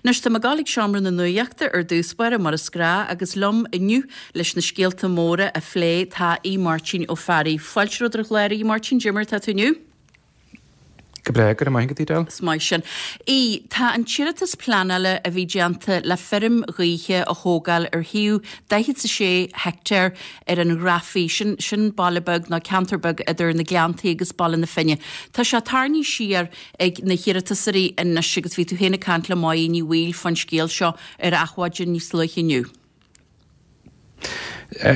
Anois tá mé ag gabháil ag Seomra na Nuachta ar dtús báire, mar is gnáth, agus liom inniu leis na scéalta móra a phlé tá Aodh Máirtín Ó Fearraigh. Fáilte romhat ar an chlár, a Aodh Máirtín, cad é mar atá tú inniu? Go breá, go raibh maith agat, Edel. Is maith sin. Aodh, tá an t-iarratas pleanála a bhí déanta le feirm ghaoithe a thógáil ar shuíomh 46 heicteár ar an Ghrafaidh, sin, sin baile beag nó ceantar beag idir na Gleanntaí agus Baile na Finne. Tá sé tarraingthe siar ag na hiarratasóirí anois agus bhí tú féin ag caint le Máire Ní Bhaoill fán scéal seo ar Adhmhaidin níos luaithe inniu.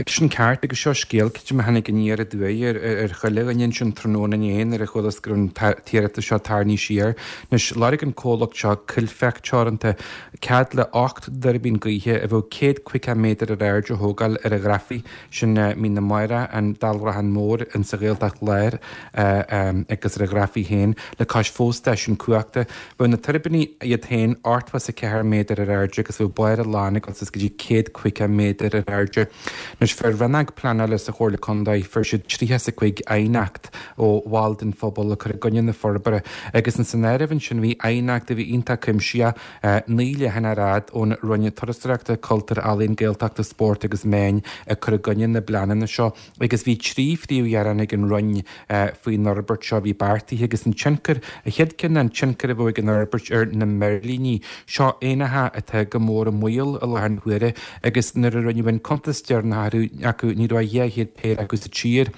Sin ceart agus seo scéal creidim a tháinig aniar aduaidh ar chuile dhuine ansin tráthnóna inné nuair a chualas go raibh an t-iarratas seo tarraingthe siar. Anois, lorg an comhlacht seo, Coillfeach Teoranta, cead le 8 dtuirbín gaoithe a bheadh 150 méadar ar airde a thógáil ar an Ghrafaidh. Sin Mín na Mara, an Dálrachán Mór insa Ghaeltacht Láir agus ar an Ghrafaidh féin, le cois fo-stáisiún cumhachta. Bheadh na tuirbíní iad féin 84 méadar ar airde agus bheadh barr a lann ag dul suas go dtí 150 méadar ar airde. Anois fuair Rannóg Pleanála sa Chomhairle Contae, fuair siad 35 aighneacht ó bhaill den phobal ag cur i gcoinne na forbartha agus ins an áireamh ansin bhí aighneacht a bhí iontach cuimsitheach, 9 leathanach ar fhad ón Roinn Turasóireachta, Cultúir, Ealaíon, Gaeltachta, Spóirt agus Meáin ag cur i gcoinne na bpleananna seo agus bhí 3 phríomhghearán ag an Roinn faoin fhorbairt seo a bhí beartaithe agus an tionchar, an chéad ceann ná an tionchar a bheadh ag an fhorbairt ar na meirlíní. Seo éanacha atá go mór i mbaol i láthair na huaire agus nuair a rinneadh an cuntas deireanach acu ní raibh ach 200 péire acu sa tír.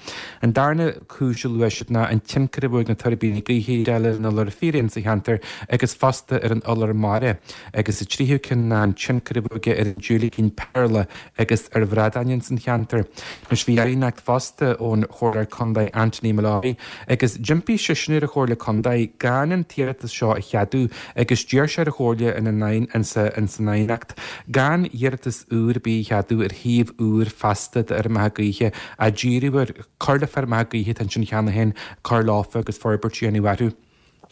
An darna. cúis a luaigh siad ná an tionchar a bheadh ag na tuirbíní gaoithe ar an iolar fíréan sa cheantar agus fosta ar an iolar mara, agus an tríú ceann ná an tionchar a bheadh aige ar an diúilicín péarla agus ar bhradáin ins an cheantar. Anois bhí aighneacht fosta ón Chomhairleoir Contae Anthony Molloy agus d'impigh seisean ar an Chomhairle Contae gan an t-iarratas seo a cheadú agus d'iarr sé ar an Chomhairle ina san aighneacht gan iarratas úr ar bith a cheadú ar shuíomh úr feasta d'fheirmeacha gaoithe á díriú ar cur le feirmeacha gaoithe atá ansin cheana féin, cur leofa agus forbairt a dhéanamh orthu.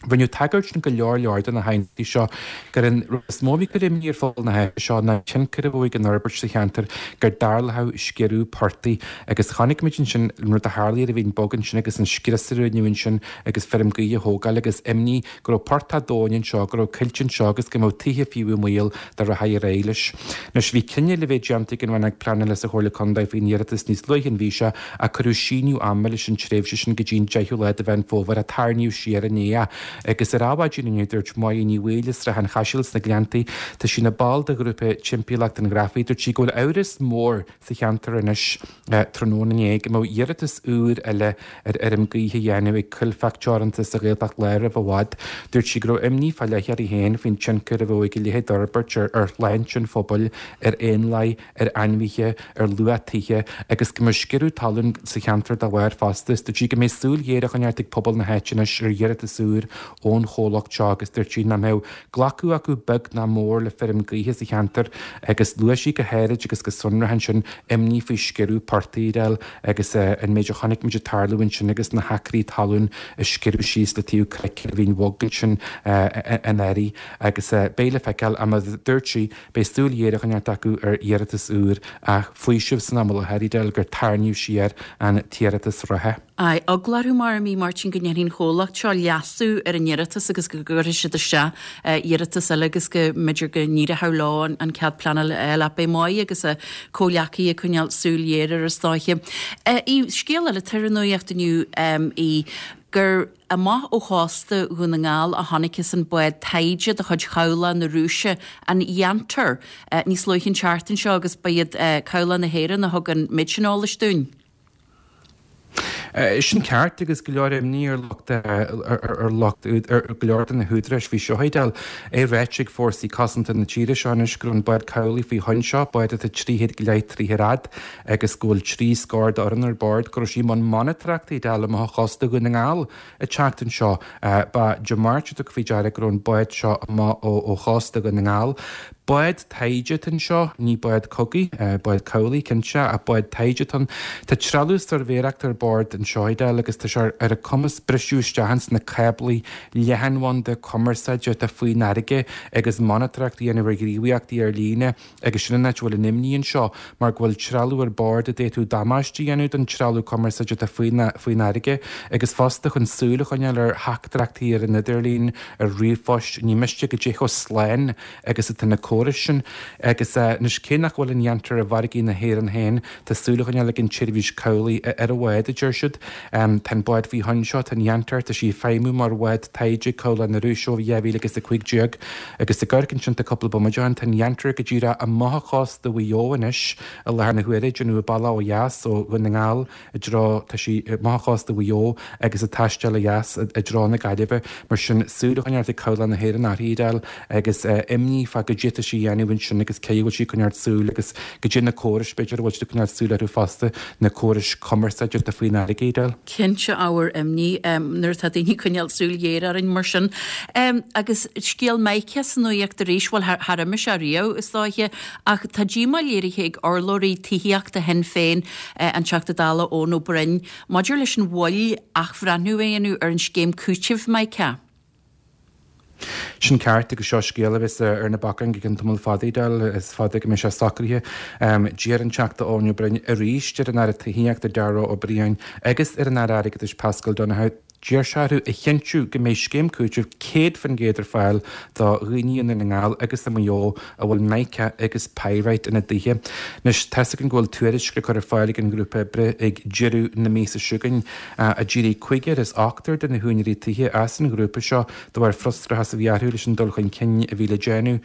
Rinneadh tagairt in go leor leor de na haighneachtaí seo gur an rud is mó a bhí ag cur imní ar phobal na háite seo ná an tionchar a bheadh ag an fhorbairt sa cheantar go dtarlódh sciorradh portaigh agus chonaic muid ansin an rud a tharlaigh ar an Mhín Bog ansin agus an scrios a rinneadh ansin agus feirm gaoithe a thógáil agus imní go raibh portach domhain anseo, go raibh coillte anseo agus go mbeadh tithe fiú i mbaol dá rachfaí ar aghaidh leis. Anois, bhí cinneadh le bheith déanta ag an Rannóg Pleanála sa Chomhairle Contae faoin iarratas níos luaithe an mhí seo ach cuireadh síneadh ama leis an tréimhse sin go dtí an 10ú lá de Mheán Fómhair ach tarraingíodh siar inné é. Agus ar Adhmhaidin inniu dúirt Máire Ní Bhaoill as Srath an Chaisil sna Gleanntaí, tá sí ina ball de ghrúpa Timpeallacht an Ghrafaidh, dúirt sí go bhfuil amhras mór sa cheantar anois tráthnóna inné go mbeadh iarratas úr eile ar fheirm gaoithe a dhéanamh ag Coillfeach Teoranta sa Ghaeltacht Láir roimh i bhfad. Dúirt sí go raibh imní fá leith uirthi féin faoin tionchar a bheadh ag a leithéid d'fhorbairt ar shláinte an phobail, ar éanlaith, ar ainmhithe, ar luach tithe agus go mbeadh sciorradh talún sa cheantar dá bharr fosta. Dúirt sí go mbeidh súil ghéar á choinneáilt ag pobal na háite anois ar iarratas úr ón chomhlacht seo agus dúirt sí nach mbeadh glacadh acu beag ná mór le feirm gaoithe sa cheantar agus luaigh sí go háirid agus go sonrach ansin imní faoi sciorradh portaigh Edel agus an méid a chonaic muid ag tarlú ansin agus na hacraí talún ag sciorradh síos le taobh cnoic ar an Mhín Bhog ansin anuraidh agus beidh le feiceáil ach mar a dúirt sí beidh súil ghéar á choinneáilt acu ar iarratas úr ach faoiseamh san am i láthair Edel gur tarraingíodh siar an t-iarratas reatha. Aye, eagla orthu mar a bhí Máirtín go ndéanfaidh an chomhlacht seo leasú ar an iarratas agus go gcuirfidh siad isteach iarratas eile agus go mb'fhéidir go n-éireodh leo an cead pleanála a fháil ach beidh Máire agus a comhghleacaithe ag coinneáil súil ghéar air is dóiche. Scéal eile atá ar an nuacht inniu í gur amach ó chósta Dhún na nGall a chonacthas an bád taighde de chuid Chabhlach na Rúise, an Yantar, níos luaithe an tseachtain seo agus ba iad Cabhlach na hÉireann a thug an méid sin eolais dúinn. Sin ceart agus go leor imní ar lucht ar lucht ar go leor de na húdaráis faoi seo Edel. É ráite ag fórsaí cosanta na tíre seo anois go raibh an bád cabhlaigh faoi thoinn seo, bád atá 300 go leith troigh ar fhad agus go bhfuil 3 scór d'fhoireann ar bord, go raibh sí i mbun monatóireachta Edel amach ó chósta Dhún na nGall an tseachtain seo. Ba Dé Máirt a tugadh faoi deara go raibh an bád seo amach ó chósta Dhún na nGall. Bád taighde atá anseo, ní bád cogaidh, bád cabhlaigh cinnte, ach bád taighde atá ann. Tá trealamh suirbhéireachta ar bord anseo, Edel, agus tá sé ar a cumas briseadh isteach ins na cáblaí leathanbhanda cumarsáide atá faoin fharraige agus monatóireacht a dhéanamh ar ghníomhaíochtaí ar líne agus sin an áit a bhfuil an imní anseo mar go bhfuil trealamh ar bord a d'fhéadfadh damáiste a dhéanamh don trealamh cumarsáide atá faoin fharraige agus fosta chun súil a choinneáil ar theachtaireachtaí ar an idirlíon, ar ríomhphoist, ní miste goidé chomh slán agus atá na córais sin. Agus anois, cé nach bhfuil an Yantar i bhfarraigí na hÉireann féin, tá súil á choinneáil ag an tSeirbhís Cabhlaigh ar an bhád, a deir siad. Tá an bád faoi thoinn seo, tá an Yantar, tá sí ag feidhmiú mar bhád taighde ag Cabhlach na Rúise ó 2015 agus ag amharc ansin tá cúpla bomaite ó shin, tá an Yantar go díreach amach ó chósta Mhaigh Eo anois i láthair na huaire, ag déanamh a bealach ó dheas ó Dhún na nGall i dtreo, tá sí amach ó chósta Mhaigh Eo agus ag taisteal ó dheas i dtreo na Gaillimhe. Mar sin, súil á choinneáil ag Cabhlach na hÉireann uirthi, Edel, agus imní fá goidé atá sí a dhéanamh ansin agus cé a bhfuil sí ag coinneáil súil agus goidé na córais, b'fhéidir, a bhfuil siad ag coinneáil súil orthu fosta, na córais cumarsáide atá faoin fharraige, Edel. Cinnte, ábhar imní nuair atá daoine ag coinneáil súil ghéar orainn mar sin. Agus scéal Mica sa nuaíocht arís, bhuel, char imigh sé riamh, is dóiche, Ach tá díomá léirithe ag urlabhraí tithíochta Shinn Féin, an Teachta Dála Eoin Ó Broin, maidir leis an mhoill athbhreithniú a dhéanamh ar an scéim cúitimh Mica. Sin ceart agus seo scéal a bheas ar na bacáin go ceann tamall fada, Edel, is fada go mbeidh sé socraithe. D'iarr an Teachta Eoin Ó Broin arís ar an Aire Tithíochta Darragh O'Brien agus ar an Aire Airgeadais Paschal Donohoe, D'iarr sé orthu a chinntiú go mbeidh scéim cúitimh 100% ar fáil do dhaoine i nDún na nGall agus i Maigh Eo a bhfuil mica agus pyrite ina dtithe. Anois, tá's againn go bhfuil tuairisc le cur ar fáil ag an ngrúpa oibre ag deireadh na míosa seo chugainn. D'éirigh cúigear as ochtar de na húinéirí tithe as an ghrúpa seo de bharr frustrachas a bhí orthu leis an dul chun cinn a bhí le déanamh.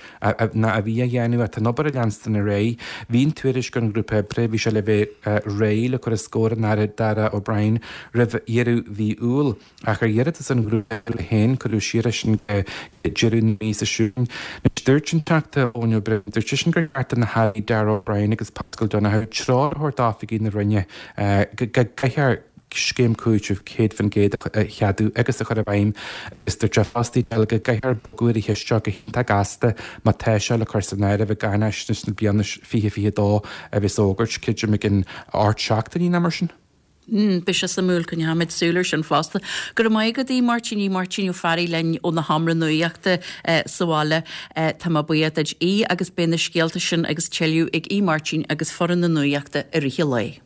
ná a bhí á dhéanamh ach tá an obair ag leanstan ar aghaidh. Bhí an tuairisc ón ghrúpa oibre, bhí sé le bheith réidh le cur os comhair an Aire Darragh O'Brien roimh dheireadh mhí Iúil, ach ar iarratas an ghrúpa oibre féin cuireadh siar é sin go deireadh na míosa seo chugainn. Anois dúirt an Teachta Eoin Ó Broin, dúirt seisean gur cheart do na hAirí Darragh O'Brien agus Paschal Donohoe treoir a thabhairt d'oifigigh na Roinne go gcaithfear scéim cúitimh 100% a cheadú agus a chur i bhfeidhm agus dúirt sé fosta go gcaithfear bogadh ar an cheist seo go hiontach gasta má tá sé le cur san áireamh i gcáinaisnéis na bliana 2022 a bheas á fhógairt, creidim i gcionn 8 seachtainí nó mar sin. Beidh sé suimiúil, coinneoimid súil air sin fosta. Go raibh maith agat, a Mháirtín, í Máirtín Ó Fearraigh linn ó na Seomra Nuachta sa bhaile. Tá mé buíoch duit í agus beidh na scéalta sin agus tuilleadh ag í Máirtín agus foireann na Nuachta i rith an lae.